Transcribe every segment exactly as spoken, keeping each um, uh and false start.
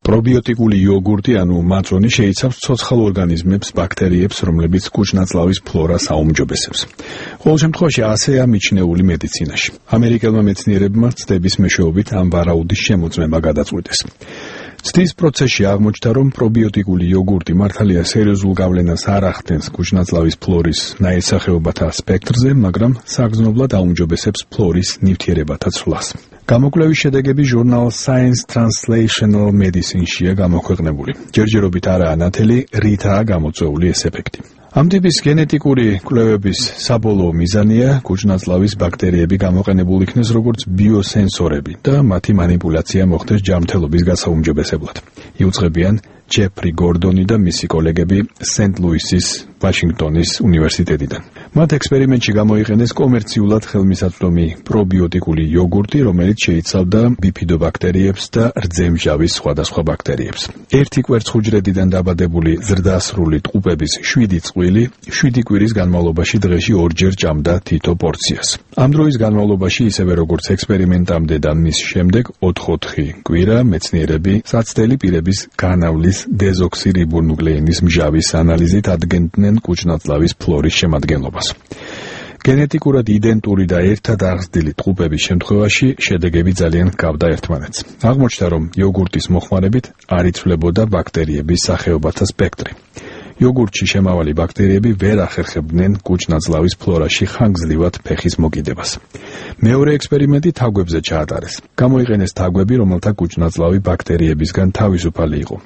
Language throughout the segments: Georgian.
პრობიოტიკული იოგურტი ანუ მაწონი შეიცავს ცოცხალ ორგანიზმებს, ბაქტერიებს, რომლებიც კუჭ-ნაწლავის ფლორას აუმჯობესებს. ყოველ შემთხვევაში ასეა მიჩნეული მედიცინაში. ამერიკელმა მეცნიერებმა ცდების მეშვეობით ამ ვარაუდის შემოწმება გადაწყვიტეს. ცდის პროცესში აღმოჩნდა, რომ პრობიოტიკული იოგურტი მართალია სერიოზულ გავლენას არ ახდენს კუჭ-ნაწლავის ფლორის ნაირსახეობათა სპექტრზე, მაგრამ საგრძნობლად აუმჯობესებს ფლორის ნივთიერებათა ცვლას. გამოკვლევის შედეგები ჟურნალ Science Translational Medicine-შია გამოქვეყნებული. ჯერჯერობით არაა ნათელი, რითაა გამოწვეული ეს ეფექტი. ამ ტიპის გენეტიკური კვლევების საბოლოო მიზანია კუჭ-ნაწლავის ბაქტერიები გამოყენებულ იქნეს როგორც ბიოსენსორები და მათი მანიპულაცია მოხდეს ჯანმრთელობის გასაუმჯობესებლად. იუწყებიან ჯეფრი გორდონი და მისი კოლეგები სენტ-ლუისის ვაშინგტონის უნივერსიტეტიდან. მათ ექსპერიმენტში გამოიყენეს კომერციულად ხელმისაწვდომი პრობიოტიკული იოგურტი, რომელიც შეიცავდა ბიფიდობაქტერიებს და რძემჟავის სხვადასხვა ბაქტერიებს. ერთი კვერცხუჯრედიდან დაბადებული ზრდასრული ტყუპების შვიდი წყვილი შვიდი კვირის განმავლობაში დღეში ორჯერ ჭამდა თითო პორციას. ამ დროის განმავლობაში, ისევე როგორც ექსპერიმენტამდე და მის შემდეგ ოთხ-ოთხი კვირა მეცნიერები საცდელი პირების განავლის დეზოქსირიბონუკლეინის მჟავის ანალიზით ადგენდნენ კუჭ-ნაწლავის ფლორის შემადგენლობას. გენეტიკურად იდენტური და ერთად აღზრდილი ტყუპების შემთხვევაში შედეგები ძალიან ჰგავდა ერთმანეთს. აღმოჩნდა, რომ იოგურტის მოხმარებით არ იცვლებოდა ბაქტერიების სახეობათა სპექტრი. იოგურტში შემავალი ბაქტერიები ვერ ახერხებდნენ კუჭ-ნაწლავის ფლორაში ხანგრძლივად ფეხის მოკიდებას. მეორე ექსპერიმენტი თაგვებზე ჩაატარეს. გამოიყენეს თაგვები, რომელთა კუჭ-ნაწლავი ბაქტერიებისგან თავისუფალი იყო.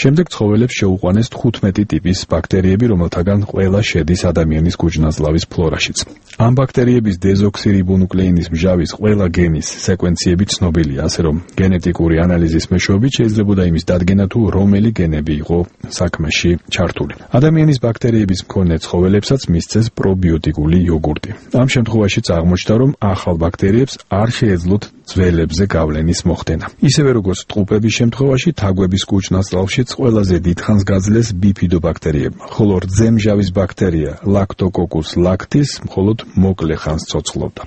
შემდეგ ცხოველებს შეუყვანეს თხუთმეტი ტიპის ბაქტერიები, რომელთაგან ყველა შედის ადამიანის კუჭ-ნაწლავის ფლორაშიც. ამ ბაქტერიების დეზოქსირიბონუკლეინის მჟავის ყველა გენის სეკვენციები ცნობილია, ასე რომ გენეტიკური ანალიზის მეშვეობით შეიძლებოდა იმის დადგენა, თუ რომელი გენები იყო საქმეში ჩართული. ადამიანის ბაქტერიების მქონე ცხოველებსაც მისცეს პრობიოტიკული იოგურტი. ამ შემთხვევაშიც აღმოჩნდა, რომ ახალ ბაქტერიებს არ შეეძლოთ ძველებზე გავლენის მოხდენა. ისევე როგორც ტყუპების შემთხვევაში, თაგვების კუჭ-ნაწლავშიც ყველაზე დიდხანს გაძლეს ბიფიდობაქტერიებმა, ხოლო რძემჟავის ბაქტერია ლაქტოკოკუს ლაქტის მხოლოდ მოკლე ხანს ცოცხლობდა.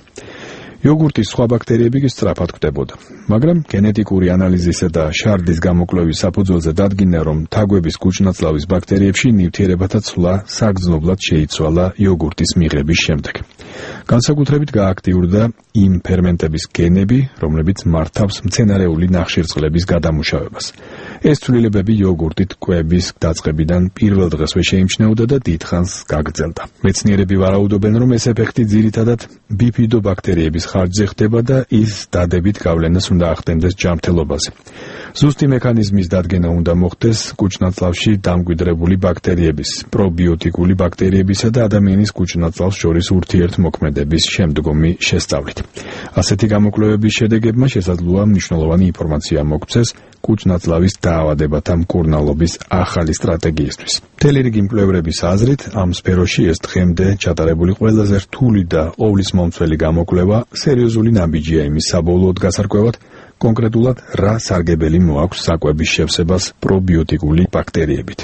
იოგურტის სხვა ბაქტერიები კი სწრაფად კვდებოდა. მაგრამ გენეტიკური ანალიზისა და შარდის გამოკვლევის საფუძველზე დადგინდა, რომ თაგვების კუჭ-ნაწლავის ბაქტერიებში ნივთიერებათა ცვლა საგრძნობლად შეიცვალა იოგურტის მიღების შემდეგ. განსაკუთრებით გააქტიურდა იმ ფერმენტების გენები, რომლებიც მართავს მცენარეული ნახშირწყლების გადამუშავებას. ეს ცვლილებები იოგურტით კვების დაწყებიდან პირველ დღესვე შეიმჩნეოდა და დიდხანს გაგრძელდა. მეცნიერები ვარაუდობენ, რომ ეს ეფექტი ძირითადად ბიფიდობაქტერიების ხარჯზე ხდება და ის დადებით გავლენას უნდა ახდენდეს ჯანმრთელობაზე. ზუსტი მექანიზმის დადგენა უნდა მოხდეს კუჭ-ნაწლავში დამკვიდრებული ბაქტერიების, პრობიოტიკული ბაქტერიებისა და ადამიანის კუჭ-ნაწლავს შორის ურთიერთმოქმედების შემდგომი შესწავლით. ასეთი გამოკვლევების შედეგებმა შესაძლოა მნიშვნელოვანი ინფორმაცია მოგცეს კუჭ-ნაწლავის დაავადებათა მკურნალობის ახალი სტრატეგიისთვის. მთელი რიგი მკვლევრების აზრით, ამ სფეროში ეს დღემდე ჩატარებული ყველაზე რთული და ყოვლისმომცველი გამოკვლევა სერიოზული ნაბიჯია იმის საბოლოოდ გასარკვევად, კონკრეტულად რა სარგებელი მოაქვს საკვების შევსებას პრობიოტიკული ბაქტერიებით.